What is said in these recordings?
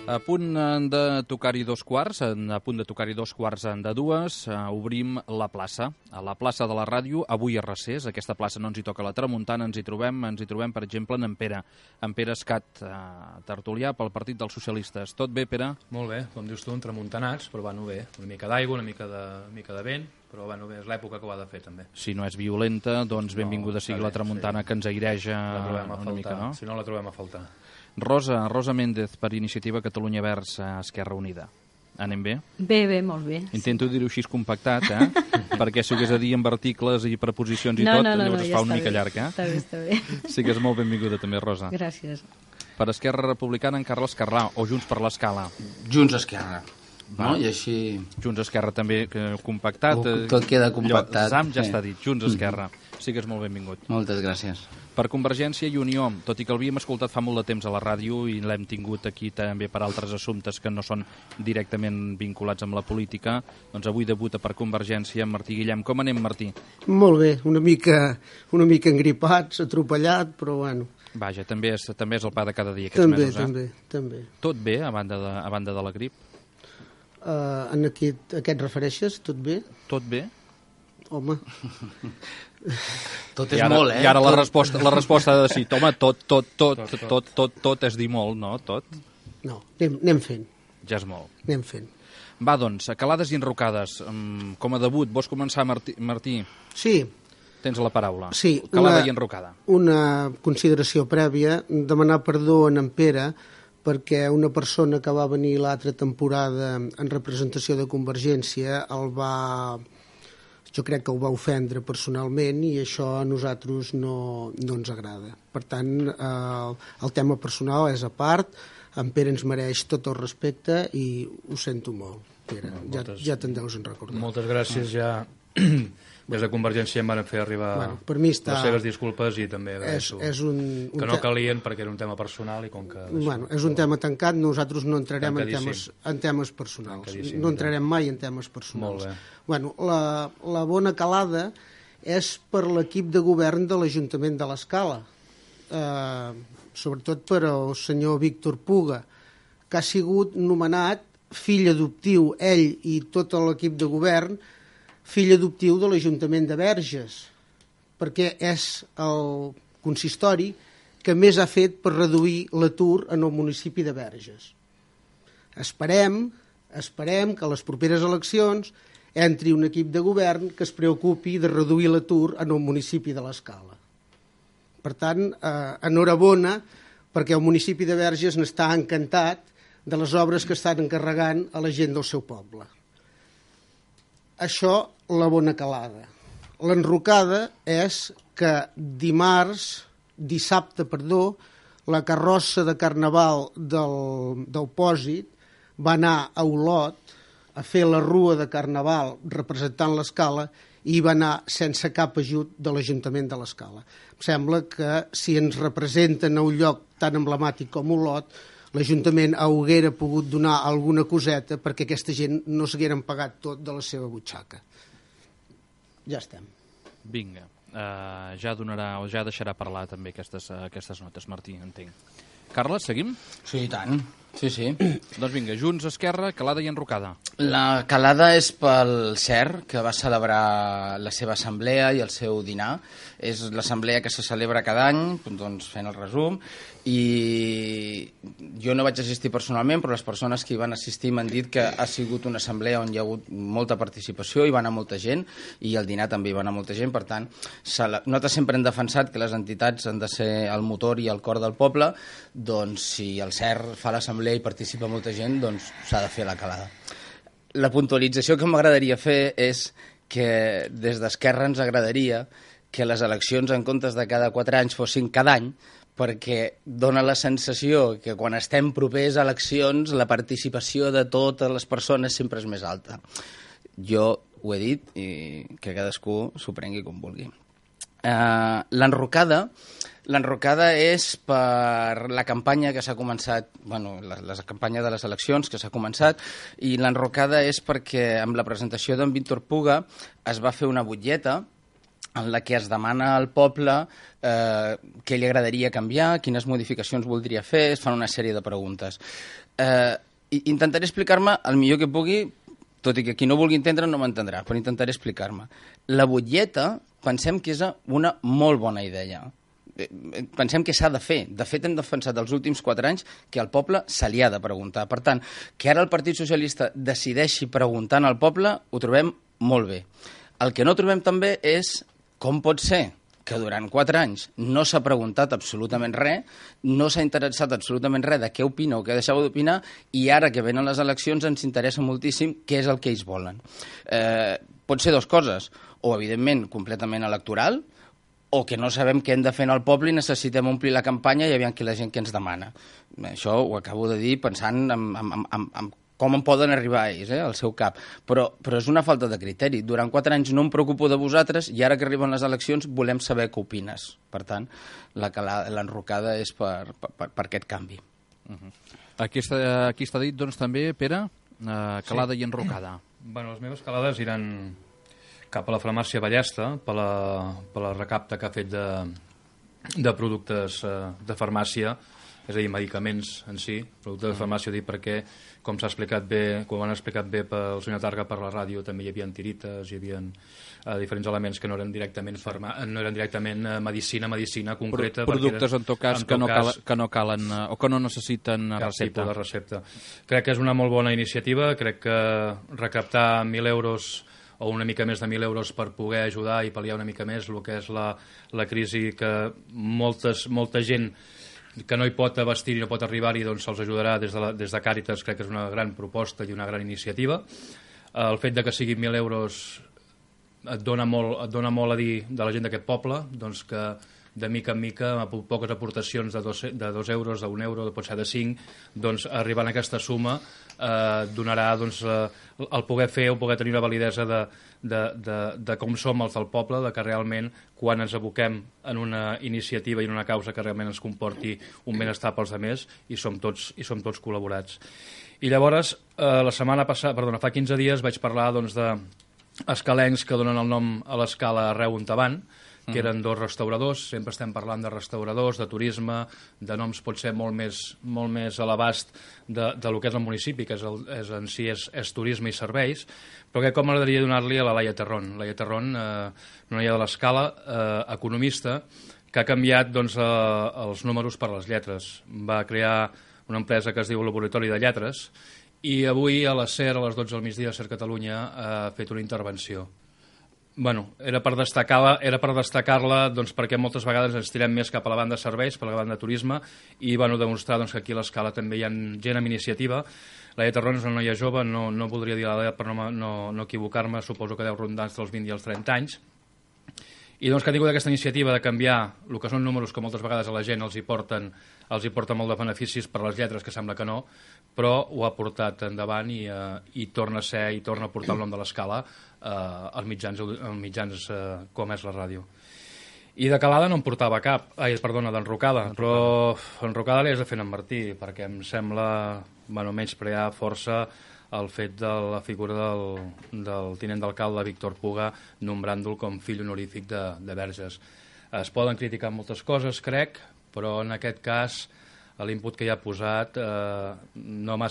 A punt de tocar-hi dos quarts, de dues, obrim la plaça. A la plaça de la ràdio, avui a Recés, aquesta plaça no ens hi toca la tramuntana, ens hi trobem, per exemple, en Pere Escat, tertulià pel Partit dels Socialistes. Tot bé, Pere? Molt bé, com dius tu, tramuntanats, però bueno, bé, una mica d'aigua, una mica de vent, però bueno, bé, és l'època que ho ha de fer, també. Si no és violenta, doncs benvinguda sigui la tramuntana, que ens aireja una mica, no? Si no, la trobem a faltar. Rosa Méndez, per Iniciativa Catalunya Verds Esquerra Unida. Anem bé? Bé, molt bé. Intento dir-ho així compactat, perquè si ho hagués a dir amb articles i preposicions i llavors es fa una mica llarg, Està bé. Sigues molt benvinguda també, Rosa. Gràcies. Per Esquerra Republicana, en Carles Carrà, o Junts per l'Escala. Junts Esquerra. No? I així... Junts Esquerra també compactat. Tot queda compactat. Zam ja està dit, Junts Esquerra. Sigues molt benvingut. Moltes gràcies. Per Convergència i Unió, tot i que l'havíem escoltat fa molt de temps a la ràdio i l'hem tingut aquí també per altres assumptes que no són directament vinculats amb la política, doncs avui debuta per Convergència Martí Guillem. Com anem, Martí? Molt bé, una mica engripats, atropellat, però bueno. Vaja, també és el pa de cada dia aquests mesos, També. Tot bé, a banda de la grip? En a què et refereixes? Tot bé? Tot bé? Home... Tot és molt, I ara la resposta ha de ser, home, tot és dir molt, no? Tot? No, anem fent. Ja és molt. Anem fent. Va, doncs, calades i enrocades. Com a debut, vols començar, Martí? Sí. Tens la paraula. Sí. Calada i enrocada. Una consideració prèvia, demanar perdó a en Pere, perquè una persona que va venir l'altra temporada en representació de Convergència jo crec que ho va ofendre personalment i això a nosaltres no ens agrada. Per tant, el tema personal és a part, en Pere ens mereix tot el respecte i ho sento molt, Pere, ja te'n deus en recordar. Moltes gràcies, ja des de Convergència em van fer arribar les seves disculpes i també agraeixo que no calien perquè era un tema personal i com que... És un tema tancat, nosaltres no entrarem en temes personals, no entrarem mai en temes personals. La bona calada és per l'equip de govern de l'Ajuntament de l'Escala, sobretot per al senyor Víctor Puga, que ha sigut nomenat fill adoptiu, ell i tot l'equip de govern, fill adoptiu de l'Ajuntament de Verges, perquè és el consistori que més ha fet per reduir l'atur en el municipi de Verges. Esperem que a les properes eleccions entri un equip de govern que es preocupi de reduir l'atur en el municipi de l'Escala. Per tant, enhorabona, perquè el municipi de Verges n'està encantat de les obres que estan encarregant a la gent del seu poble. Això, la bona calada. L'enrocada és que dissabte, la carrossa de Carnaval del Pòsit va anar a Olot a fer la rua de Carnaval representant l'Escala i va anar sense cap ajut de l'Ajuntament de l'Escala. Em sembla que si ens representen a un lloc tan emblemàtic com Olot, l'Ajuntament haguera pogut donar alguna coseta perquè aquesta gent no s'hagueren pagat tot de la seva butxaca. Ja estem. Vinga, ja deixarà parlar també aquestes notes, Martí, entenc. Carles, seguim? Sí, i tant. Sí. Doncs vinga, Junts, Esquerra, calada i enrocada. La calada és pel CER, que va celebrar la seva assemblea i el seu dinar. És l'assemblea que se celebra cada any, doncs fent el resum, i jo no vaig assistir personalment, però les persones que hi van assistir m'han dit que ha sigut una assemblea on hi ha hagut molta participació, hi va anar molta gent, i al dinar també hi va anar molta gent. Per tant, nosaltres sempre hem defensat que les entitats han de ser el motor i el cor del poble, doncs si el CER fa l'assemblea i participa molta gent, doncs s'ha de fer la calada. La puntualització que m'agradaria fer és que des d'Esquerra ens agradaria que les eleccions en comptes de cada 4 anys fossin cada any, perquè dona la sensació que quan estem propers a eleccions la participació de totes les persones sempre és més alta. Jo ho he dit i que cadascú s'ho prengui com vulgui. L'enrocada és per la campanya que s'ha començat, la campanya de les eleccions que s'ha començat, i l'enrocada és perquè amb la presentació d'en Víctor Puga es va fer una butlleta en la que es demana al poble què li agradaria canviar, quines modificacions voldria fer, es fan una sèrie de preguntes. Intentaré explicar-me el millor que pugui, tot i que qui no vulgui entendre no m'entendrà, però intentaré explicar-me. La butlleta pensem que és una molt bona idea. Pensem que s'ha de fer. De fet, hem defensat els últims 4 anys que al poble se li ha de preguntar. Per tant, que ara el Partit Socialista decideixi preguntant al poble, ho trobem molt bé. El que no trobem també és com pot ser que durant 4 anys no s'ha preguntat absolutament res, no s'ha interessat absolutament res de què opina o què deixava d'opinar, i ara que venen les eleccions ens interessa moltíssim què és el que ells volen. Pot ser 2 coses, o evidentment completament electoral, o que no sabem què hem de fer en el poble i necessitem omplir la campanya i aviam qui la gent que ens demana. Això ho acabo de dir pensant en com en poden arribar ells, al seu cap. Però és una falta de criteri. Durant 4 anys no em preocupo de vosaltres i ara que arriben les eleccions volem saber què opines. Per tant, l'enrocada és per aquest canvi. Aquí està dit, doncs, també, Pere, calada i enrocada. Les meves calades iran cap a la farmàcia Ballesta, per la recapta que ha fet de productes de farmàcia, és a dir, medicaments en si, productes de farmàcia, perquè, com s'ha explicat bé, com ho han explicat bé pel senyor Targa per la ràdio, també hi havia tirites, hi havia diferents elements que no eren directament medicina concreta. Productes, en tot cas, que no calen o que no necessiten recepta. Cap tipus de recepta. Crec que és una molt bona iniciativa, crec que recaptar 1.000 euros o una mica més de 1.000 euros per poder ajudar i pal·liar una mica més el que és la crisi que molta gent que no hi pot abastir i no pot arribar-hi, doncs se'ls ajudarà des de Càritas. Crec que és una gran proposta i una gran iniciativa. El fet de que siguin 1.000 euros et dona molt a dir de la gent d'aquest poble, doncs que de mica en mica, amb poques aportacions de 2 euros, d'1 euro, pot ser de 5, doncs arribant a aquesta suma donarà el poder fer o poder tenir una validesa de com som els del poble, de que realment quan ens aboquem en una iniciativa i en una causa que realment ens comporti un benestar pels altres i som tots col·laborats. I llavors, fa 15 dies vaig parlar d'escalencs que donen el nom a l'escala Arreu on Avant, que eren 2 restauradors. Sempre estem parlant de restauradors, de turisme, de noms potser molt més a l'abast del que és el municipi, que en si és turisme i serveis, però que com m'agradaria donar-li a la Laia Terrón. Laia Terrón, una noia de l'escala, economista, que ha canviat els números per les lletres. Va crear una empresa que es diu Laboratori de Lletres i avui a la SER, a les 12 del migdia, a SER Catalunya, ha fet una intervenció. Era per destacar-la perquè moltes vegades ens tirem més cap a la banda de serveis, per la banda de turisme, i demostrar que aquí a l'escala també hi ha gent amb iniciativa. Laia Terrón és una noia jove, no voldria dir l'edat per no equivocar-me, suposo que deu rondar entre els 20 i els 30 anys, i que ha tingut aquesta iniciativa de canviar el que són números que moltes vegades a la gent els hi porten molt de beneficis per les lletres, que sembla que no, però ho ha portat endavant i torna a ser i torna a portar el nom de l'escala als mitjans com és la ràdio. I de calada no en portava cap, d'enrocada, però enrocada li has de fer en Martí, perquè em sembla menysprear força el fet de la figura del tinent d'alcalde Víctor Puga, nombrant-lo com fill honorífic de Verges. Es poden criticar moltes coses, crec, però en aquest cas l'input que hi ha posat no m'ha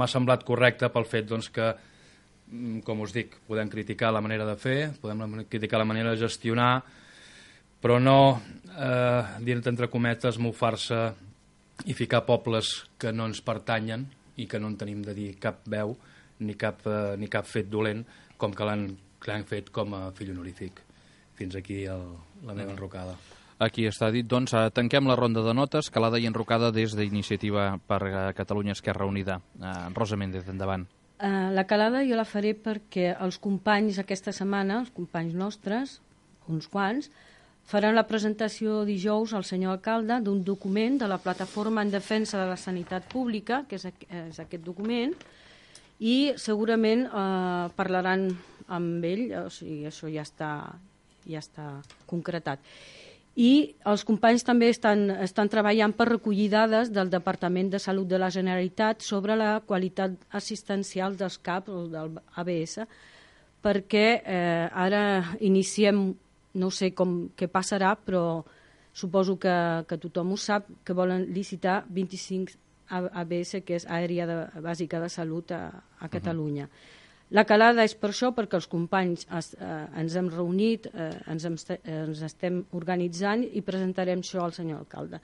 semblat correcte pel fet que, com us dic, podem criticar la manera de fer, podem criticar la manera de gestionar, però no, dins entre cometes, mofar-se i ficar pobles que no ens pertanyen i que no en tenim de dir cap veu ni cap fet dolent, com que l'han fet com a fill honorífic. Fins aquí la meva enrocada. Aquí està dit, doncs, tanquem la ronda de notes, calada i enrocada des d'Iniciativa per Catalunya Esquerra Unida. Rosa Méndez, endavant. La calada jo la faré perquè els companys aquesta setmana, els companys nostres, uns quants, faran la presentació dijous al senyor alcalde d'un document de la Plataforma en Defensa de la Sanitat Pública, que és aquest document, i segurament parlaran amb ell, o sigui, això ja ja està concretat. I els companys també estan treballant per recollir dades del Departament de Salut de la Generalitat sobre la qualitat assistencial dels CAP o del ABS, perquè ara iniciem, no sé què passarà, però suposo que tothom ho sap, que volen licitar 25 ABS, que és Àrea Bàsica de Salut a Catalunya. La calada és per això, perquè els companys ens hem reunit, ens estem organitzant i presentarem això al senyor alcalde.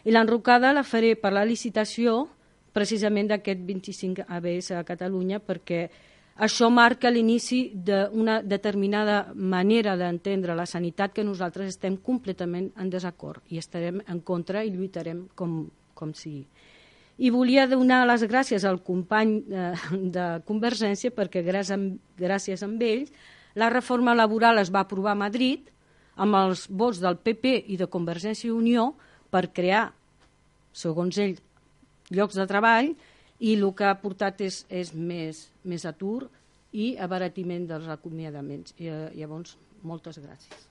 I l'enrocada la faré per la licitació precisament d'aquest 25 ABS a Catalunya, perquè això marca l'inici d'una determinada manera d'entendre la sanitat que nosaltres estem completament en desacord i estarem en contra i lluitarem com sigui. I volia donar les gràcies al company de Convergència perquè gràcies a ells la reforma laboral es va aprovar a Madrid amb els vots del PP i de Convergència i Unió per crear, segons ell, llocs de treball, i el que ha portat és més atur i abaratiment dels acomiadaments. Llavors, moltes gràcies.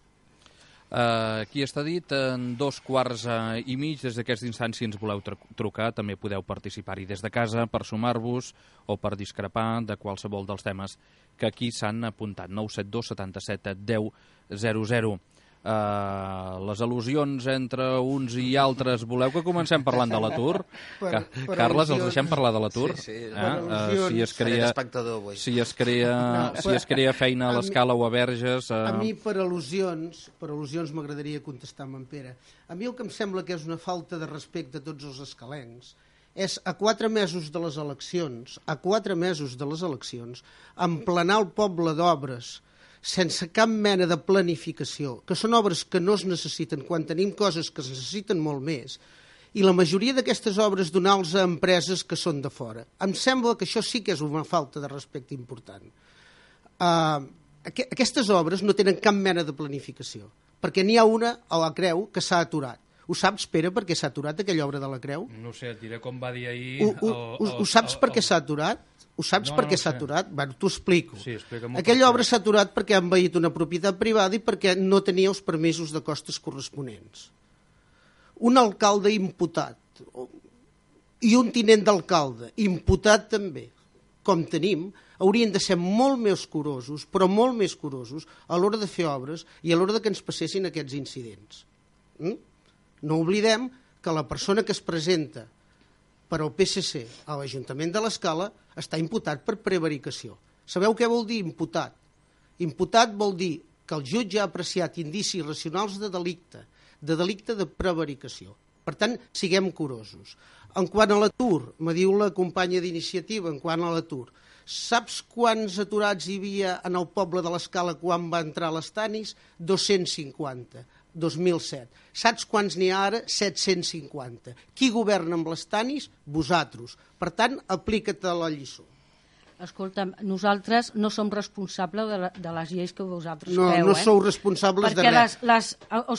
Aquí està dit, en 2:15, des d'aquesta instància ens voleu trucar, també podeu participar-hi des de casa per sumar-vos o per discrepar de qualsevol dels temes que aquí s'han apuntat. 972 77 10 00. Les al·lusions entre uns i altres, voleu que comencem parlant de l'atur? Carles, els deixem parlar de l'atur? Sí. Si es crea feina a l'Escala o a Verges... A mi, per al·lusions m'agradaria contestar amb en Pere. A mi el que em sembla que és una falta de respecte a tots els escalencs és a 4 mesos de les eleccions, emplenar el poble d'obres sense cap mena de planificació, que són obres que no es necessiten quan tenim coses que es necessiten molt més, i la majoria d'aquestes obres donar-los a empreses que són de fora. Em sembla que això sí que és una falta de respecte important. Aquestes obres no tenen cap mena de planificació, perquè n'hi ha una a la Creu que s'ha aturat. Ho saps, Pere, per què s'ha aturat aquella obra de la Creu? No sé, et diré com va dir ahir... Ho saps per què s'ha aturat? Ho saps per què s'ha aturat? Bueno, t'ho explico. Sí, explica'm. Aquella obra s'ha aturat perquè han envaït una propietat privada i perquè no tenia els permisos de costes corresponents. Un alcalde imputat i un tinent d'alcalde imputat també, com tenim, haurien de ser molt més curosos, però molt més curosos a l'hora de fer obres i a l'hora que ens passessin aquests incidents. No oblidem que la persona que es presenta per al PSC a l'Ajuntament de l'Escala està imputat per prevaricació. Sabeu què vol dir imputat? Imputat vol dir que el jutge ha apreciat indicis racionals de delicte de prevaricació. Per tant, siguem curosos. En quant a l'atur, me diu la companya d'iniciativa, en quant a l'atur, saps quants aturats hi havia en el poble de l'Escala quan va entrar a les Tanis? 250. 2007. Saps quants n'hi ha ara? 750. Qui governa amb les Tanis? Vosaltres. Per tant, aplica't a la lliçó. Escolta'm, nosaltres no som responsables de les lleis que vosaltres feu. No sou responsables de res.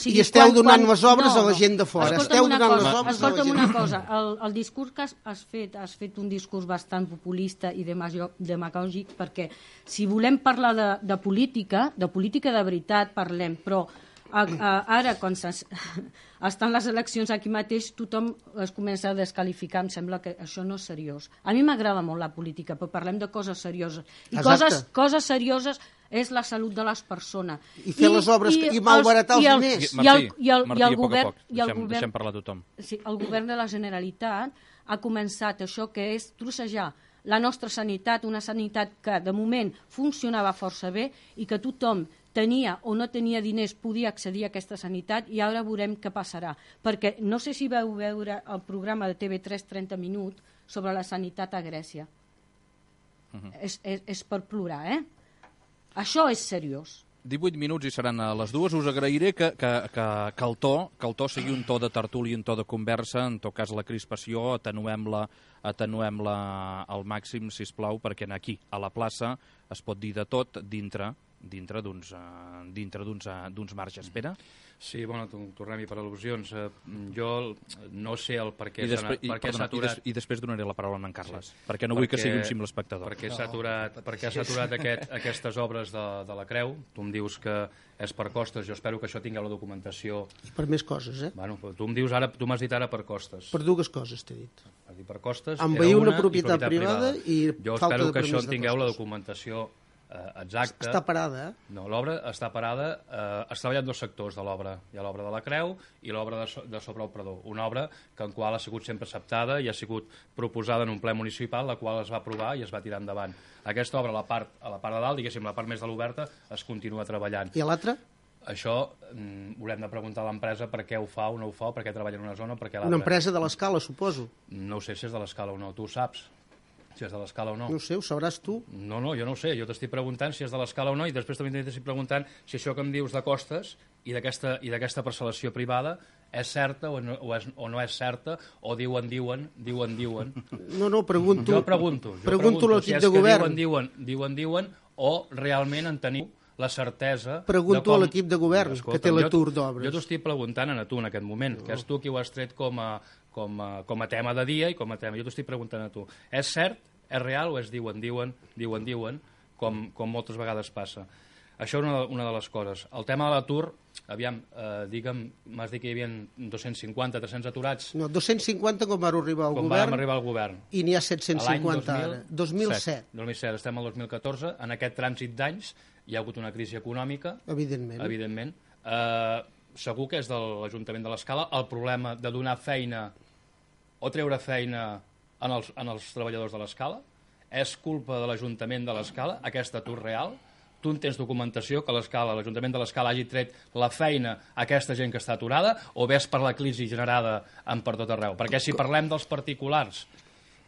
I esteu donant les obres a la gent de fora. Escolta'm una cosa. El discurs que has fet un discurs bastant populista i demagògic, perquè si volem parlar de política de veritat parlem, però ara, quan estan les eleccions aquí mateix, tothom es comença a desqualificar. Em sembla que això no és seriós. A mi m'agrada molt la política, però parlem de coses serioses. I coses serioses és la salut de les persones. I fer les obres i malbaratar els diners. Martí, a poc a poc. Deixem parlar a tothom. El govern de la Generalitat ha començat això que és trossejar la nostra sanitat, una sanitat que de moment funcionava força bé i que tothom tenia o no tenia diners, podia accedir a aquesta sanitat, i ara veurem què passarà. Perquè no sé si vau veure el programa de TV3 30 minuts sobre la sanitat a Grècia. És per plorar, Això és seriós. 18 minuts i seran a les 2. Us agrairé que el to sigui un to de tertúlia, un to de conversa. En tot cas, la crispació, atenuem-la al màxim, sisplau, perquè aquí, a la plaça, es pot dir de tot dintre d'uns marges. Pere? Sí, bueno, tornem-hi per al·lusions. Jo no sé el per què s'ha aturat... I després donaré la paraula a en Carles, perquè no vull que sigui un simple espectador. Perquè s'ha aturat aquestes obres de la Creu. Tu em dius que és per costes, jo espero que això tingueu la documentació... I per més coses, eh? Bueno, tu m'has dit ara per costes. Per dues coses, t'he dit. Per costes, envair una propietat privada i jo falta de espero que permís això de tingueu la costos. documentació exacta. Està parada, eh? No, l'obra està parada. Es treballen dos sectors de l'obra. Hi ha l'obra de la Creu i l'obra de sobre el Prador. Una obra que en qual ha sigut sempre acceptada i ha sigut proposada en un ple municipal, la qual es va aprovar i es va tirar endavant. Aquesta obra, a la part de dalt, diguéssim, la part més de l'oberta, es continua treballant. I a l'altra? Això haurem de preguntar a l'empresa per què ho fa o no ho fa, per què treballa en una zona, per què l'altra. Una empresa de l'Escala, suposo. No ho sé si és de l'Escala o no, tu ho saps, si és de l'Escala o no. No ho sé, ho sabràs tu. No, jo no ho sé, jo t'estic preguntant si és de l'Escala o no i després també t'estic preguntant si això que em dius de costes i d'aquesta parcel·lació privada és certa o no és certa o diuen. No, pregunto. Jo pregunto l'equip si és de govern. Que diuen o realment en teniu la certesa... Pregunto a l'equip de govern, que té l'atur d'obres. Jo t'ho estic preguntant a tu en aquest moment, que és tu qui ho has tret com a tema de dia i com a tema. Jo t'ho estic preguntant a tu. És cert, és real o és diuen, com moltes vegades passa? Això és una de les coses. El tema de l'atur, aviam, m'has dit que hi havia 250, 300 aturats. No, 250 quan vam arribar al govern. Quan vam arribar al govern. I n'hi ha 750 ara. 2007. 2007, estem al 2014. En aquest trànsit d'anys hi ha hagut una crisi econòmica. Evidentment. Segur que és de l'Ajuntament de l'Escala el problema de donar feina o treure feina en els treballadors de l'Escala. És culpa de l'Ajuntament de l'Escala aquest atur real? Tu en tens documentació que l'Ajuntament de l'Escala hagi tret la feina a aquesta gent que està aturada o ves per la crisi generada per tot arreu? Perquè si parlem dels particulars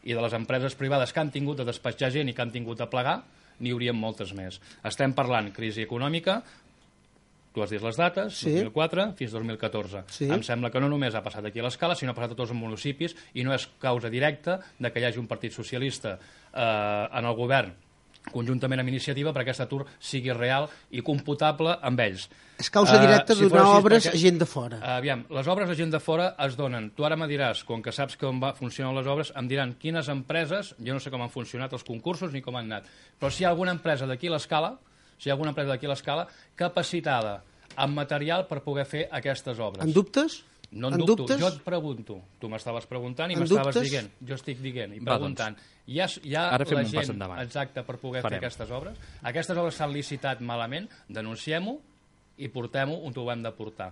i de les empreses privades que han tingut de despatxar gent i que han tingut de plegar, n'hi haurien moltes més. Estem parlant crisi econòmica, tu has dit les dates, sí. 2004 fins 2014. Sí. Em sembla que no només ha passat aquí a l'Escala, sinó ha passat a tots els municipis i no és causa directa de que hi hagi un partit socialista en el govern conjuntament amb Iniciativa perquè aquest atur sigui real i computable amb ells. És causa directa de donar obres a gent de fora. Aviam, les obres a gent de fora es donen. Tu ara me diràs, com que saps com funcionen les obres, em diran quines empreses, jo no sé com han funcionat els concursos ni com han anat, però si hi ha alguna empresa d'aquí a l'Escala, capacitada amb material per poder fer aquestes obres. En dubtes? No en dubto, jo et pregunto. Tu m'estaves preguntant i m'estaves dient. Jo estic dient i preguntant. Hi ha la gent exacta per poder fer aquestes obres? Aquestes obres s'han licitat malament, denunciem-ho i portem-ho on ho hem de portar.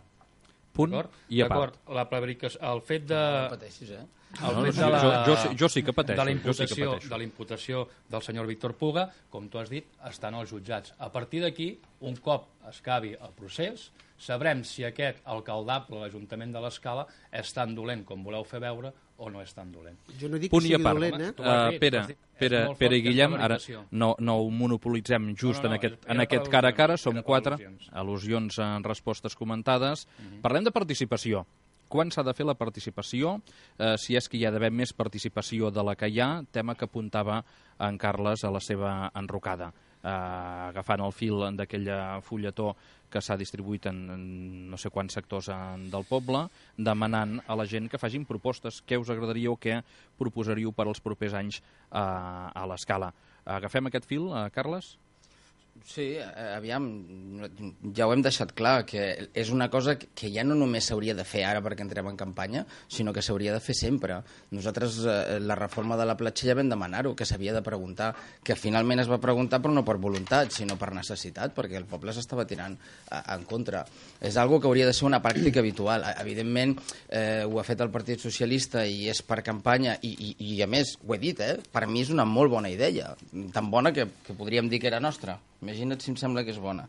Punt i a part. El fet de... No pateixis, eh? Jo sí que pateixo. De la imputació del senyor Víctor Puga, com tu has dit, estan als jutjats. A partir d'aquí, un cop es acabi el procés, sabrem si aquest alcaldable, l'Ajuntament de l'Escala, és tan dolent com voleu fer veure o no és tan dolent. Jo no dic que sigui dolent, eh? Pere i Guillem, ara no ho monopolitzem just en aquest cara a cara, som 4 al·lusions en respostes comentades. Parlem de participació. Quan s'ha de fer la participació? Si és que hi ha d'haver més participació de la que hi ha, tema que apuntava en Carles a la seva enrocada. Agafant el fil d'aquell fulletó que s'ha distribuït en no sé quants sectors del poble, demanant a la gent que facin propostes. Què us agradaria o què proposaríeu per als propers anys a l'Escala? Agafem aquest fil, Carles? Sí, aviam, ja ho hem deixat clar, que és una cosa que ja no només s'hauria de fer ara perquè entrem en campanya, sinó que s'hauria de fer sempre. Nosaltres, la reforma de la platja ja vam demanar-ho, que s'havia de preguntar, que finalment es va preguntar però no per voluntat, sinó per necessitat, perquè el poble s'estava tirant en contra. És algo que hauria de ser una pràctica habitual. Evidentment, ho ha fet el Partit Socialista i és per campanya, i a més, ho he dit, per mi és una molt bona idea, tan bona que podríem dir que era nostra. Imagina't si em sembla que és bona.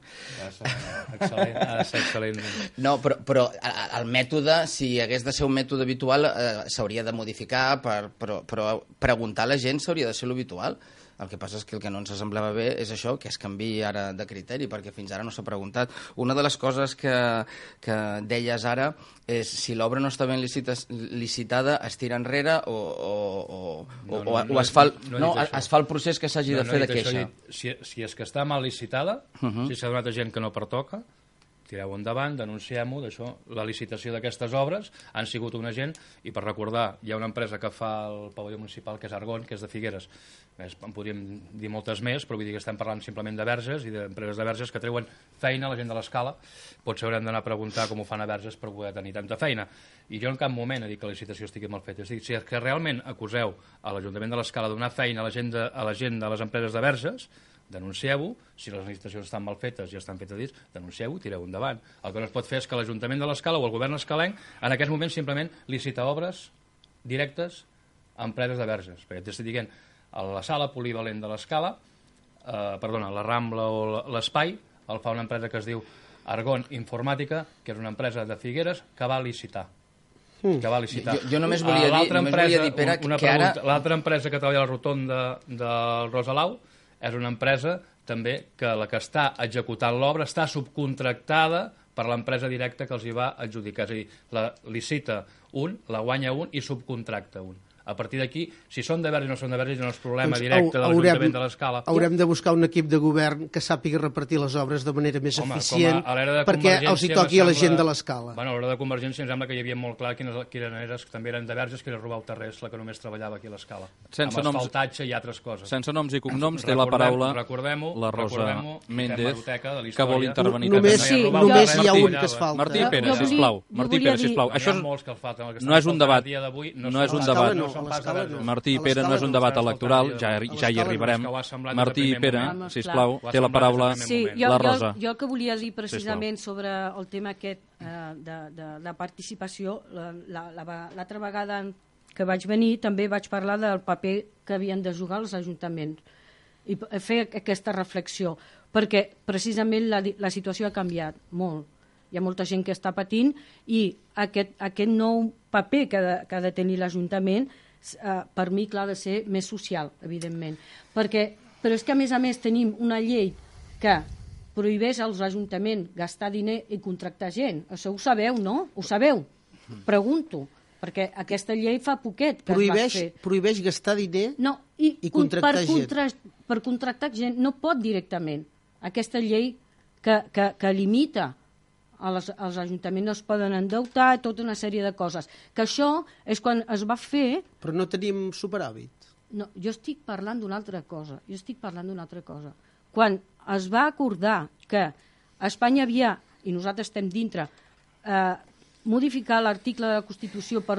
Ha de ser excel·lent. No, però el mètode, si hagués de ser un mètode habitual, s'hauria de modificar, però preguntar a la gent s'hauria de ser l'habitual. El que passa és que el que no ens semblava bé és això, que es canviï ara de criteri, perquè fins ara no s'ha preguntat. Una de les coses que deies ara és si l'obra no està ben licitada, es tira enrere o es fa el procés que s'hagi de fer de queixa. Si és que està mal licitada, si s'ha donat a gent que no pertoca, tireu endavant, denunciem-ho, d'això. La licitació d'aquestes obres han sigut una gent, i per recordar, hi ha una empresa que fa el pavelló municipal, que és Argon, que és de Figueres. En podríem dir moltes més, però vull dir que estem parlant simplement de Verges i d'empreses de Verges que treuen feina a la gent de l'Escala. Potser haurem d'anar a preguntar com ho fan a Verges per poder tenir tanta feina. I jo en cap moment he dit que la licitació estigui mal feta. Si és que realment acuseu a l'Ajuntament de l'Escala de donar feina a la gent de les empreses de Verges, denuncieu-ho. Si les licitacions estan mal fetes i estan fetes dins, denuncieu-ho, tireu endavant. El que no es pot fer és que l'Ajuntament de l'Escala o el govern escalenc en aquest moment simplement licita obres directes a empreses de Verges, perquè t'estic dient, a la sala polivalent de l'Escala, la Rambla o l'Espai, el fa una empresa que es diu Argon Informàtica, que és una empresa de Figueres que va licitar. Jo només volia dir, Pere, que ara... L'altra empresa que treballa a la rotonda del Rosalau és una empresa també que la que està executant l'obra està subcontractada per l'empresa directa que els hi va adjudicar. És a dir, la licita un, la guanya un i subcontracta un. A partir d'aquí, si són de Verges o no són de Verges, no és problema directe de l'Ajuntament de l'Escala. Haurem de buscar un equip de govern que sàpiga repartir les obres de manera més eficient perquè els hi toqui a la gent de l'Escala. Bueno, a l'hora de Convergència em sembla que hi havia molt clar quines també eren de Verges, que era Robar Terrés, la que només treballava aquí a l'Escala. Amb asfaltatge i altres coses. Sense noms i cognoms té la paraula la Rosa Méndez, que vol intervenir. Només hi ha un que es falta. Martí Pere, sisplau. Martí Pere, sisplau. Això no és un debat. No és un debat. Martí i Pere, no és un debat electoral, ja hi arribarem. Martí i Pere, sisplau, té la paraula la Rosa. Jo el que volia dir precisament sobre el tema aquest de participació, l'altra vegada que vaig venir també vaig parlar del paper que havien de jugar els ajuntaments i fer aquesta reflexió, perquè precisament la situació ha canviat molt. Hi ha molta gent que està patint i aquest nou paper que ha de tenir l'Ajuntament per mi, clar, ha de ser més social, evidentment. Però és que, a més, tenim una llei que prohibeix als ajuntaments gastar diner i contractar gent. Això ho sabeu, no? Ho sabeu? Pregunto, perquè aquesta llei fa poquet que es va fer. Prohibeix gastar diner i contractar gent. Per contractar gent no pot directament. Aquesta llei que limita els ajuntaments no es poden endeutar, tota una sèrie de coses. Que això és quan es va fer... Però no tenim superàvit. No, jo estic parlant d'una altra cosa. Quan es va acordar que a Espanya havia, i nosaltres estem dintre, modificar l'article de la Constitució per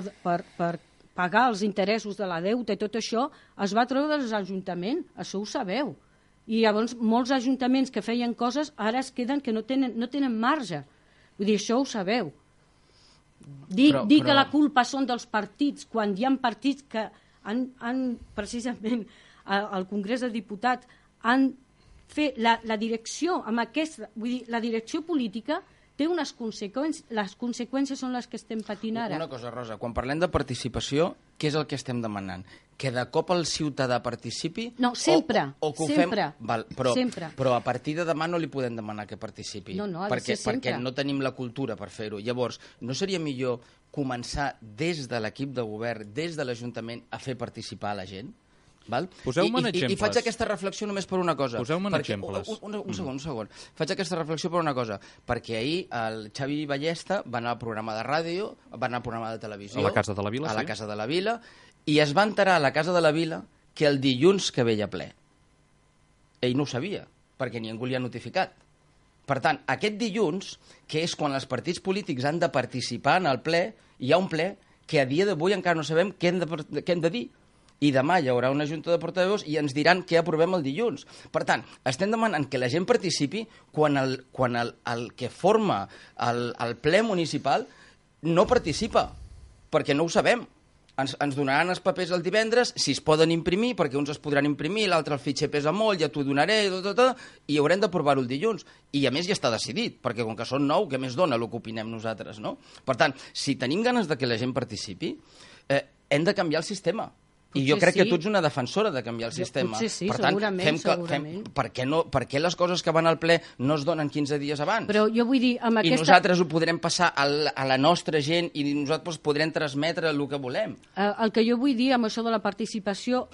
pagar els interessos de la deuta i tot això, es va treure dels ajuntaments, això ho sabeu. I llavors molts ajuntaments que feien coses ara es queden que no tenen marge. Vull dir, això ho sabeu. Dir que la culpa són dels partits, quan hi ha partits que han precisament, al Congrés de Diputats, han fet la direcció, amb aquesta, vull dir, la direcció política té unes conseqüències, les conseqüències són les que estem patint ara. Una cosa, Rosa, quan parlem de participació, què és el que estem demanant? Que de cop el ciutadà participi? No, sempre, o que ho sempre. Fem, però a partir de demà no li podem demanar que participi. No, ha de ser sempre. Perquè no tenim la cultura per fer-ho. Llavors, no seria millor començar des de l'equip de govern, des de l'Ajuntament, a fer participar a la gent? Poseu-me'n exemples. I faig aquesta reflexió només per una cosa. Poseu-me'n exemples. Un segon. Faig aquesta reflexió per una cosa. Perquè ahir el Xavi Ballesta va anar al programa de ràdio, va anar al programa de televisió... A la Casa de la Vila, sí. A la Casa de la Vila, i es va enterar a la Casa de la Vila que el dilluns que ve hi ha ple. Ell no ho sabia, perquè ningú li ha notificat. Per tant, aquest dilluns, que és quan els partits polítics han de participar en el ple, hi ha un ple que a dia d'avui encara no sabem què hem de dir. I demà hi haurà una junta de portaveus i ens diran què aprovem el dilluns. Per tant, estem demanant que la gent participi quan el que forma el ple municipal no participa, perquè no ho sabem. Ens donaran els papers el divendres, si es poden imprimir, perquè uns es podran imprimir, l'altre el fitxer pesa molt, ja t'ho donaré, i haurem d'aprovar-ho el dilluns. I a més ja està decidit, perquè com que són 9, què més dona el que opinem nosaltres, no? Per tant, si tenim ganes de que la gent participi, hem de canviar el sistema. I jo Potser crec que sí. tu ets una defensora de canviar el sistema. Potser sí, per tant, segurament. per què les coses que van al ple no es donen 15 dies abans? Però jo vull dir, amb I nosaltres ho podrem passar a la nostra gent i nosaltres podrem transmetre el que volem. El que jo vull dir amb això de la participació,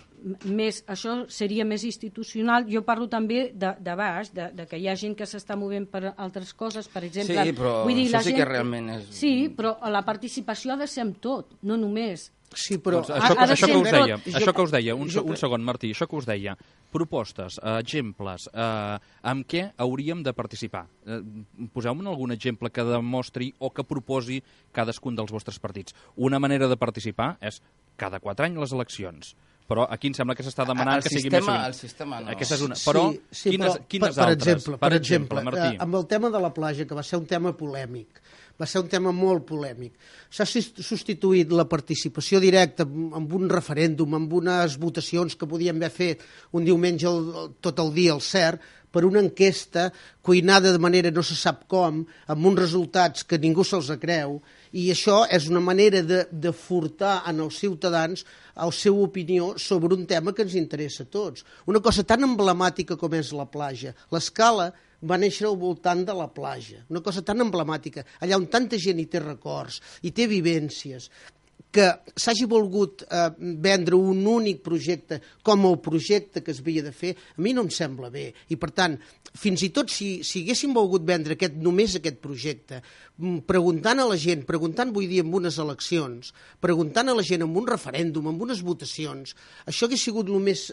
això seria més institucional. Jo parlo també de baix, de que hi ha gent que s'està movent per altres coses, per exemple... Sí, però vull dir, això sí que realment és... Sí, però la participació ha de ser amb tot, no només. Sí, però... Doncs això que us deia, un segon, Martí, això que us deia, propostes, exemples, amb què hauríem de participar? Poseu-me algun exemple que demostri o que proposi cadascun dels vostres partits. Una manera de participar és cada 4 anys les eleccions, però aquí em sembla que s'està demanant que sigui més sovint. El sistema no. Aquesta és una... Però, quines altres? Per exemple, Martí. amb el tema de la platja, que va ser un tema polèmic, va ser un tema molt polèmic. S'ha substituït la participació directa amb un referèndum, amb unes votacions que podien haver fet un diumenge tot el dia al CERT, per una enquesta cuinada de manera no se sap com, amb uns resultats que ningú se'ls creu, i això és una manera de furtar en els ciutadans la seva opinió sobre un tema que ens interessa a tots. Una cosa tan emblemàtica com és la platja. L'Escala va néixer al voltant de la platja, una cosa tan emblemàtica, allà on tanta gent hi té records, hi té vivències, que s'hagi volgut vendre un únic projecte com el projecte que es havia de fer, a mi no em sembla bé. I, per tant, fins i tot si haguéssim volgut vendre només aquest projecte, preguntant a la gent, vull dir, en unes eleccions, preguntant a la gent en un referèndum, en unes votacions, això hauria sigut el més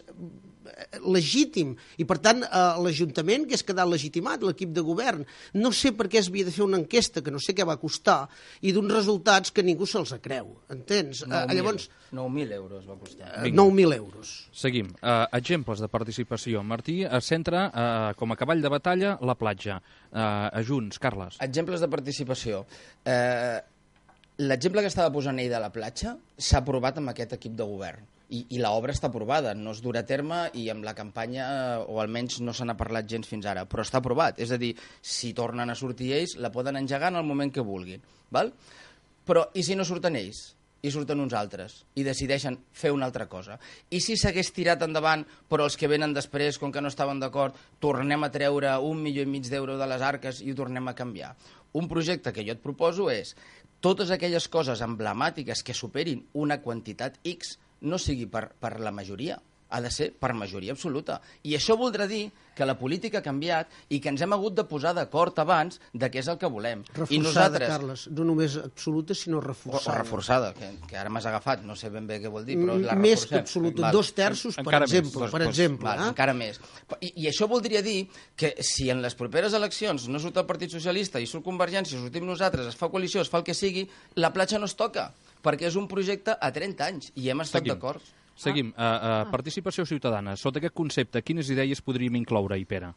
legítim, i per tant l'Ajuntament hagués quedat legitimat, l'equip de govern. No sé per què es havia de fer una enquesta que no sé què va costar i d'uns resultats que ningú se'ls creu, entens? 9.000 euros va costar. 9.000 euros. Seguim. Exemples de participació. Martí es centra com a cavall de batalla la platja. A Junts, Carles. Exemples de participació. L'exemple que estava posant ell de la platja s'ha aprovat amb aquest equip de govern. I l'obra està aprovada, no es durà a terme i amb la campanya, o almenys no se n'ha parlat gens fins ara, però està aprovat. És a dir, si tornen a sortir ells, la poden engegar en el moment que vulguin. Val? Però i si no surten ells? I surten uns altres i decideixen fer una altra cosa. I si s'hagués tirat endavant, però els que venen després, com que no estaven d'acord, tornem a treure 1,5 milió d'euros de les arques i ho tornem a canviar. Un projecte que jo et proposo és totes aquelles coses emblemàtiques que superin una quantitat X no sigui per la majoria, ha de ser per majoria absoluta. I això voldrà dir que la política ha canviat i que ens hem hagut de posar d'acord abans de què és el que volem. Reforçada, I nosaltres... Carles, no només absoluta, sinó reforçada. O reforçada, que ara m'has agafat, no sé ben bé què vol dir, però la reforcem. Més que absoluta, 2/3, per exemple. Encara més. I això voldria dir que si en les properes eleccions no surt el Partit Socialista i surt Convergència, sortim nosaltres, es fa coalició, es fa el que sigui, la platja no es toca, perquè és un projecte a 30 anys i hem estat d'acord. Seguim. Participació ciutadana. Sota aquest concepte, quines idees podríem incloure-hi, Pere?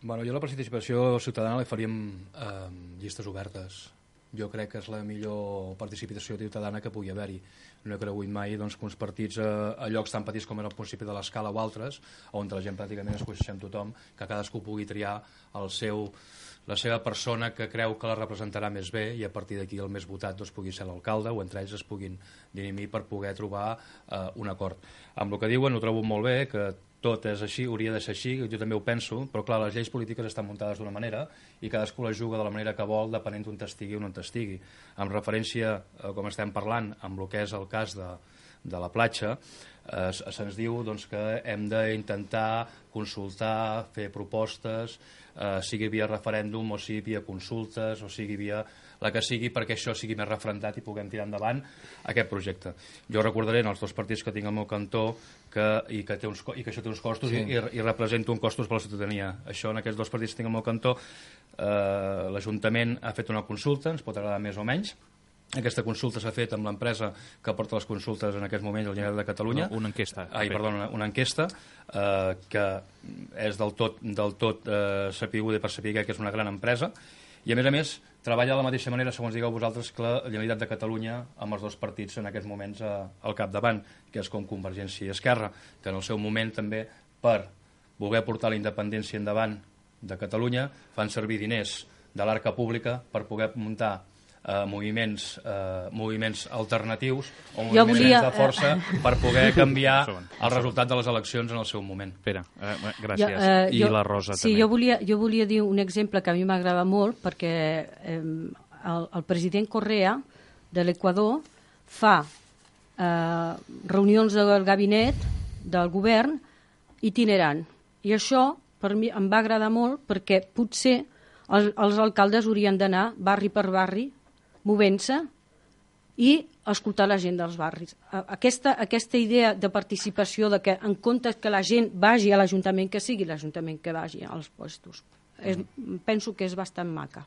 Bueno, jo la participació ciutadana la faríem llistes obertes. Jo crec que és la millor participació ciutadana que pugui haver-hi. No he cregut mai doncs, que uns partits a llocs tan petits com era el municipi de l'Escala o altres, on la gent pràcticament es coneixem tothom, que cadascú pugui triar la seva persona que creu que la representarà més bé i a partir d'aquí el més votat doncs, pugui ser l'alcalde o entre ells es puguin dirimir per poder trobar un acord. Amb el que diuen ho trobo molt bé, que tot és així, hauria de ser així, jo també ho penso, però clar, les lleis polítiques estan muntades d'una manera i cadascú la juga de la manera que vol depenent d'on t'estigui o no t'estigui. Amb referència, com estem parlant, amb el que és el cas de la platja, se'ns diu doncs, que hem d'intentar consultar, fer propostes, sigui via referèndum o sigui via consultes o sigui via la que sigui perquè això sigui més refrendat i puguem tirar endavant aquest projecte. Jo recordaré en els dos partits que tinc al meu cantó i que això té uns costos sí. i represento uns costos per la ciutadania. Això en aquests dos partits que tinc al meu cantó l'Ajuntament ha fet una consulta, ens pot agradar més o menys. Aquesta consulta s'ha fet amb l'empresa que porta les consultes en aquest moment, la Generalitat de Catalunya. Una enquesta. Una enquesta que és del tot sapiguda per saber que és una gran empresa i a més treballa de la mateixa manera, segons digueu vosaltres, que la Generalitat de Catalunya amb els dos partits en aquests moments al capdavant, que és com Convergència i Esquerra, que en el seu moment també per voler portar la independència endavant de Catalunya fan servir diners de l'arca pública per poder muntar moviments alternatius o Jo moviments volia, de força per poder canviar el resultat de les eleccions en el seu moment. Pere, gràcies. I la Rosa sí, també. Jo volia dir un exemple que a mi m'agrada molt, perquè el president Correa de l'Equador fa reunions del gabinet del govern itinerant. I això per mi em va agradar molt, perquè potser els alcaldes haurien d'anar barri per barri movent-se i escoltar la gent dels barris. Aquesta idea de participació, de que en comptes que la gent vagi a l'Ajuntament, que sigui l'Ajuntament que vagi als puestos, penso que és bastant maca.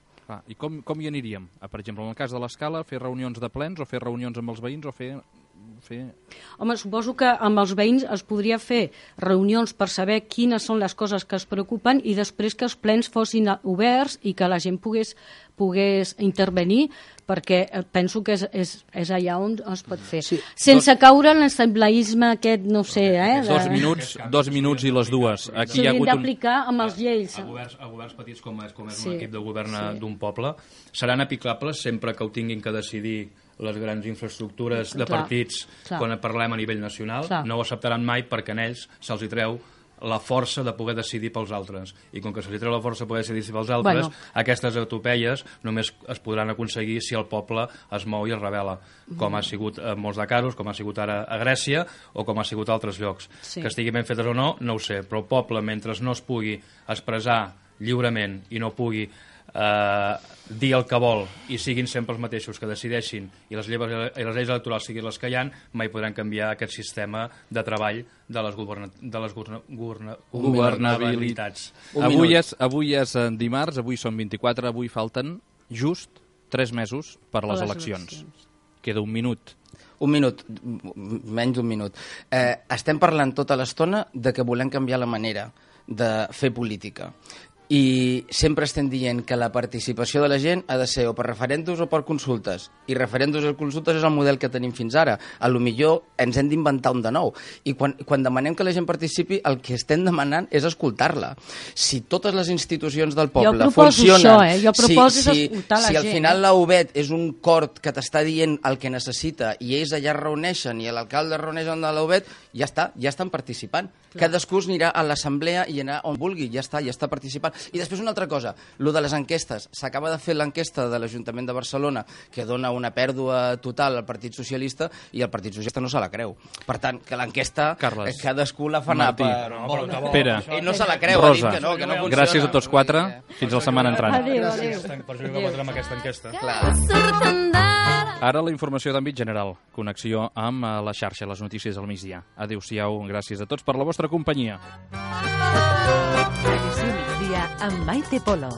I com hi aniríem? Per exemple, en el cas de l'Escala, fer reunions de plens o fer reunions amb els veïns o fer... Home, suposo que amb els veïns es podria fer reunions per saber quines són les coses que es preocupen i després que els plens fossin oberts i que la gent pogués intervenir, perquè penso que és allà on es pot fer. Sí. Sense caure en l'assembleisme aquest, no sé... 2 minuts i les dues. S'haurien d'aplicar amb els lleis. A governs petits com és un equip de govern d'un poble seran aplicables sempre que ho tinguin que decidir les grans infraestructures de partits quan parlem a nivell nacional. No ho acceptaran mai perquè en ells se'ls hi treu la força de poder decidir pels altres. I com que se'ls hi treu la força de poder decidir pels altres, aquestes utopeies només es podran aconseguir si el poble es mou i es rebel·la, com ha sigut en molts de casos, com ha sigut ara a Grècia o com ha sigut a altres llocs. Que estigui ben fetes o no, no ho sé, però el poble, mentre no es pugui expressar lliurement i no pugui dir el que vol i siguin sempre els mateixos que decideixin i les lleis electorals siguin les que hi ha, mai podran canviar aquest sistema de treball de les governabilitats. Avui és dimarts, avui són 24, avui falten just 3 mesos per a les eleccions. Queda un minut. Un minut, menys d'un minut. Estem parlant tota l'estona de que volem canviar la manera de fer política. I sempre estem dient que la participació de la gent ha de ser o per referèndums o per consultes. I referèndums o consultes és el model que tenim fins ara. A lo millor ens hem d'inventar un de nou. I quan demanem que la gent participi, el que estem demanant és escoltar-la. Si totes les institucions del poble funcionen... Jo proposo escoltar la gent. Si al final la UBET és un cort que t'està dient el que necessita i ells allà es reuneixen i l'alcalde es reuneix amb la UBET, ja estan participant. Cadascú anirà a l'assemblea i anar on vulgui, ja està participant. I després una altra cosa, lo de les enquestes. S'acaba de fer l'enquesta de l'Ajuntament de Barcelona que dona una pèrdua total al Partit Socialista i el Partit Socialista no se la creu. Per tant, que l'enquesta cadascú la fa anar per... Pere, i no se la creu, Rosa, que no funciona. Gràcies a tots 4. Fins la setmana entrant. Adéu. Per jugar contra amb aquesta enquesta. Ara la informació d'àmbit general. Connexió amb la xarxa, les notícies al migdia. Adéu-siau, gràcies a tots per la vostra companyia. Edició migdia amb Maite Polo.